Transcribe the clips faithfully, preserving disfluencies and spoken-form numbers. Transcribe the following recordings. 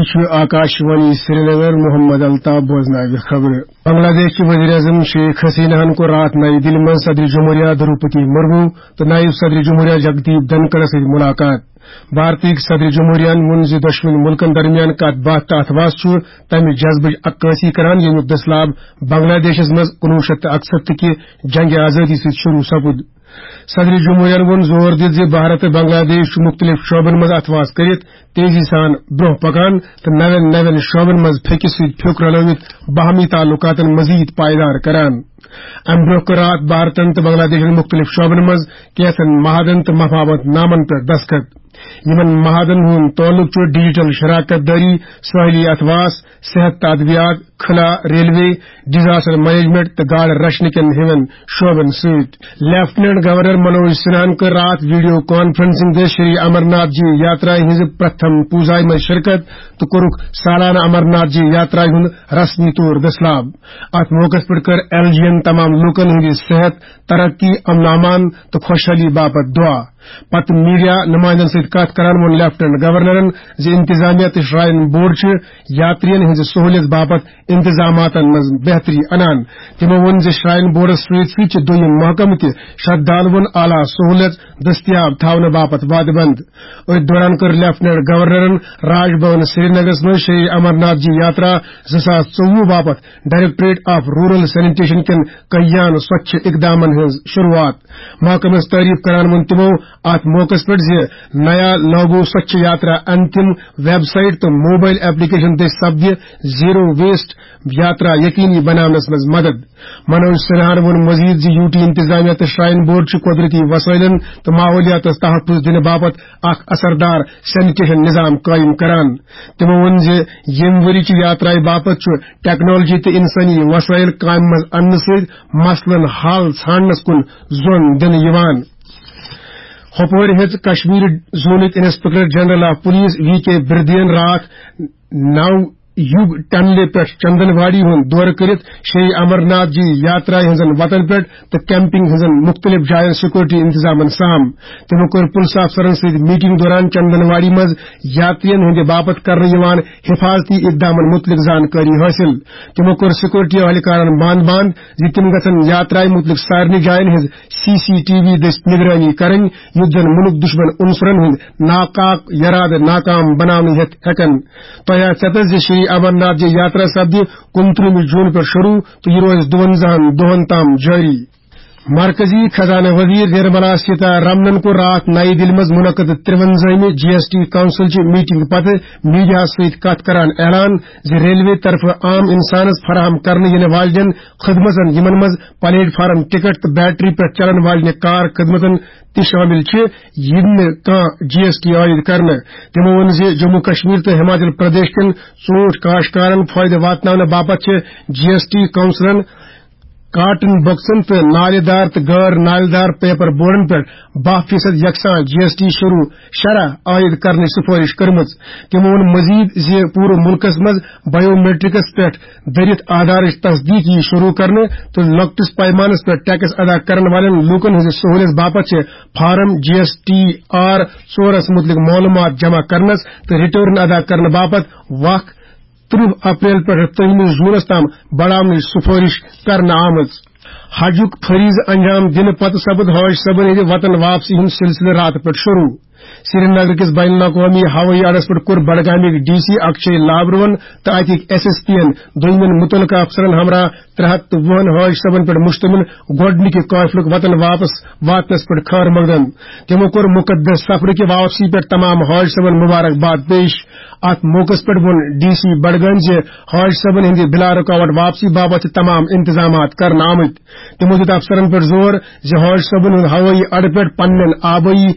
یہِ چھُ آکاشوانی سرینگر، محمد الطاف بوزناوِ خبرٕ۔ بنگلہ دیش چہِ وزیر اعظم شیخ حسینہ ہن کوٚر راتھ نئی دِلہِ منٛز صدر جمہوریہ دروپتی مرمو تہٕ نائب صدر جمہوریہ جگدیپ دھنکڑس سۭتۍ ملاقات۔ بھارتٕکۍ صدر جمہوریہن ووٚن زِ دۄشوٕنی مُلکن درمیان کتھ باتھ تہٕ اتھواس چھُ تمہِ جذبٕچ عکٲسی کران، ییٚمیُک دٔسلاب بنگلہ دیشس منٛز کُنوُہ شیٚتھ تہٕ اکسَتتھ کہِ جنگِ آزٲدی سۭتۍ شروع سپُد۔ صدر جمہوریہن ووٚن زور دِتھ زِ بھارت تہٕ بنگلہ دیش چھُ مُختٔلِف شعبن منٛز اتھواس کٔرِتھ تیزی سان برٛونٛہہ پکان تہٕ نوٮ۪ن نوٮ۪ن شعبن منٛز پھیٚکہِ سۭتۍ پھیوٚک رلٲوِتھ باہمی تعلقاتن مزید پائیدار کران۔ امہِ برٛونٛہہ کٔر راتھ بھارتن تہٕ بنگلہ دیشن مُختٔلِف شعبن منٛز کینٛژن معاہدن تہٕ مفاہمت نامن پٮ۪ٹھ دستخط۔ یِمن معاہدن ہُنٛد تعلق چھُ ڈیجیٹل شراکت دٲری، سٲحلی اتھواس، صحت تہٕ ادویات، خلا، ریلوے، ڈیزاسٹر مینجمنٹ تہٕ گاڈٕ رچھنہٕ کٮ۪ن ہِوٮ۪ن شعبن سۭتۍ۔ لیفٹیننٹ گورنر منوج سنہاہن کٔر راتھ ویڈیو کانفرنسنگ دٔسۍ شری امرناتھ جی یاترا ہٕنٛزِ پرتھم پوزایہِ منٛز شرکت تہٕ کوٚرُکھ سالانہٕ امرناتھ جی یاترا ہُنٛد رسمی طور دٔسلاب۔ اتھ موقعس پٮ۪ٹھ کٔر ایل جی ین تمام لوٗکن ہٕنٛدِ صحت، ترقی، امن امان تہٕ خۄشحٲلی باپتھ دعا۔ پتہٕ میڈیا نمائندن سۭتۍ کتھ کران ووٚن لیفٹیننٹ گورنرن زِ انتظامیہ تہٕ شراین بورڈ چھِ یاترین ہٕنٛزِ سہولیت باپتھ انتظاماتن منٛز بہتری انان۔ تِمو ووٚن زِ شراین بورڈس سۭتۍ سۭتۍ چھِ دوٚیِم محکمہٕ تہِ شردھالوُن اعلیٰ سہولیت دٔستیاب تھاونہٕ باپتھ وعدٕ بنٛد۔ أتھۍ دوران کٔر لیفٹیننٹ گورنرن راج بھون سرینگرس منٛز شری امرناتھ جی یاترا زٕ ساس ژوٚوُہ باپتھ ڈائریکٹوریٹ آف رورل سینیٹیشن کٮ۪ن کلیان سوچھ اقدامن ہٕنٛز شروعات۔ محکمس تعریف کران ووٚن تِمو اتھ موقعس پٮ۪ٹھ زِ نیا لاگو سوچھ یاترا انتم ویب سائٹ تہٕ موبائل ایپلیکیشن دٔسۍ سپدِ زیرو ویسٹ یاترا یقینی بناونس منٛز مدد۔ منوج سنہاہن ووٚن مزید زِ یو ٹی انتظامیہ تہٕ شراین بورڈ چھُ قدرتی وسائلن تہٕ ماحولیاتس تحفظ دِنہٕ باپتھ اکھ اثردار سینیٹیشن نظام قائم کران۔ تِمو ووٚن زِ ییٚمہِ ؤری چہِ یاترایہِ باپتھ چھُ ٹیکنالوجی تہٕ انسٲنی وسائل کامہِ منٛز اننہٕ سۭتۍ مسلن حل ژھانڈنس کُن زون دِنہٕ یِوان۔ ہۄپٲرۍ ہیٚژ کشمیر زونٕکۍ inspector general of police V K بردین راتھ نو یوگ ٹنلہِ پٮ۪ٹھ چندن واڑی ہُنٛد دورٕ کٔرِتھ شری امرناتھ جی یاترا ہٕنٛزن وتن پٮ۪ٹھ تہٕ کیمپنگ ہٕنٛزن مُختٔلِف جاین سیکورٹی انتظامن سام۔ تِمو کٔر پُلسہٕ افسرن سۭتۍ میٹنگ دوران چندن واڑی منٛز یاترین ہٕنٛدِ باپتھ کرنہٕ یِوان حفاظتی اقدامن مُتعلق زانکٲری حٲصِل۔ تِمو کوٚر سیکورٹی اہلکارن بند بند زِ تِم گژھن یاترایہِ مُتعلق سارنٕے جاین ہٕنٛز سی سی ٹی وی دٔسۍ نگرٲنی کرٕنۍ، یُتھ زن مُلک دُشمن عنصرن ہُنٛد ناکاک یرادٕ ناکام بناونہٕ ہٮ۪تھ ہٮ۪کن۔ تۄہہِ آسہِ ژٮ۪تس زِ شری امرناتھ جی یاترا سپدِ کُنترٕہمہِ جوٗن پٮ۪ٹھ شروع تہٕ یہِ روزِ دُوَنزاہن دۄہن تام جٲری۔ مرکزی خزانہٕ وزیر نرملا سیتا رمنن کوٚر راتھ نئی دِلہِ منٛز منعقد ترٛوَنزٲہمہِ جی ایس ٹی کونسل چہِ میٹنگ پتہٕ میڈیاہس سۭتۍ کتھ کران اعلان زِ ریلوے طرفہٕ عام انسانس فراہم کرنہٕ یِنہٕ والٮ۪ن خدمتن، یِمن منٛز پلیٹ فارم ٹکٹ تہٕ بیٹری پٮ۪ٹھ چلن والٮ۪ن کار خدمتن تہِ شٲمِل چھِ، یِم نہٕ کانٛہہ جی ایس ٹی عائد کرنہٕ۔ تِمو ووٚن زِ جموں کشمیر تہٕ ہماچل پردیش کٮ۪ن ژوٗنٛٹھۍ کاشتکارن فٲیدٕ واتناونہٕ باپتھ چھِ جی ایس ٹی کونسلن کاٹن بکسن تہٕ نالہِ دار تہٕ غٲر نالہِ دار پیپر بورڈن پٮ۪ٹھ باہ فیصد یکساں جی ایس ٹی شروع شرح عائد کرنٕچ سفارش کٔرمٕژ۔ تِمو ووٚن مزید زِ پوٗرٕ مُلکس منٛز بایو میٹرکس پٮ۪ٹھ دٔرِتھ آدھارٕچ تصدیق یی شروع کرنہٕ تہٕ لۄکٹِس پیمانس پٮ۪ٹھ ٹیکس ادا کرن والٮ۪ن لوٗکن ہٕنٛزِ سہوٗلیت باپتھ چھِ فارم جی ایس ٹی آر ژورس مُتعلق معلوٗمات جمع کرنس تہٕ ریٹرن ادا کرنہٕ باپتھ وق ترٕہ اپریل پٮ۪ٹھ ترٛہمہِ جوٗنَس تام بڑاونٕچ سفارش کرنہٕ آمٕژ۔ حجُک فریضہٕ انجام دِنہٕ پتہٕ سپُد حاج صٲبن ہٕنٛدِ وطن واپسی ہُنٛد سلسلہٕ راتہٕ پٮ۪ٹھ شروع۔ سرینگر کِس بین الاقوامی ہوٲیی اڈس پٮ۪ٹھ کوٚر بڈگامٕکۍ ڈی سی اکشے لابروہن تہٕ اتِکۍ ایس ایس پی ین دوٚیمٮ۪ن مُتعلقہٕ افسرن ہمراہ ترٛےٚ ہتھ تہٕ وُہن حاج صٲبن پٮ۪ٹھ مشتمل گۄڈٕنِکہِ قٲفلُک وطن واپس واتنس پٮ۪ٹھ خٲر مقدم۔ تِمو کوٚر مُقدس سفرٕکہِ واپسی پٮ۪ٹھ تمام حاج صٲبن مبارکباد پیش۔ اتھ موقعس پٮ۪ٹھ ووٚن ڈی سی بڈگام زِ حاج صٲبن ہٕنٛدِ بلا رکاوٹ واپسی باپتھ چھِ تمام انتظامات کرنہٕ آمٕتۍ۔ تِمو دیُت افسرن پٮ۪ٹھ زور زِ حاج صٲبن ہُنٛد ہوٲیی اڈٕ پٮ۪ٹھ پننٮ۪ن آبٲیی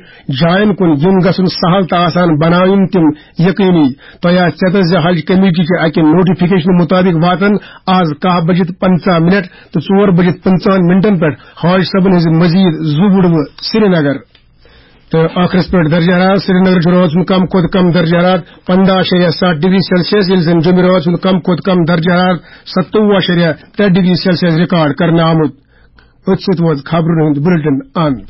جاین کُن یُن گژھُن سہل تہٕ آسان بناوٕنۍ تِم یقینی۔ تۄہہِ آسہِ ژٮ۪تس زِ حج کمیٹی کہِ اکہِ نوٹیفکیشن مطابق واتن آز کاہ بجِتھ پنژاہ منٹ تہٕ ژور بجِتھ پنژاہن منٹن پٮ۪ٹھ حاج صٲبن ہٕنٛزِ مزید زٕ وُڑوٕ سرینگر۔ تہٕ ٲخرس پٮ۪ٹھ درجہ حرارت۔ سرینگر جمعرات ہُنٛد کم کھۄتہٕ کم درجہ حرارت پنٛداہ اَشاریہ ستھ ڈگری سیلسیس، ییٚلہِ زن جمعرات ہُنٛد کم کھۄتہٕ کم درجہ حرارت ستووُہ اَشاریہ ترٛےٚ ڈگری سیلسیس ریکارڈ کرنہٕ آمُت۔ أتھۍ سۭتۍ ووت خبرن ہُنٛد بلیٹن اند۔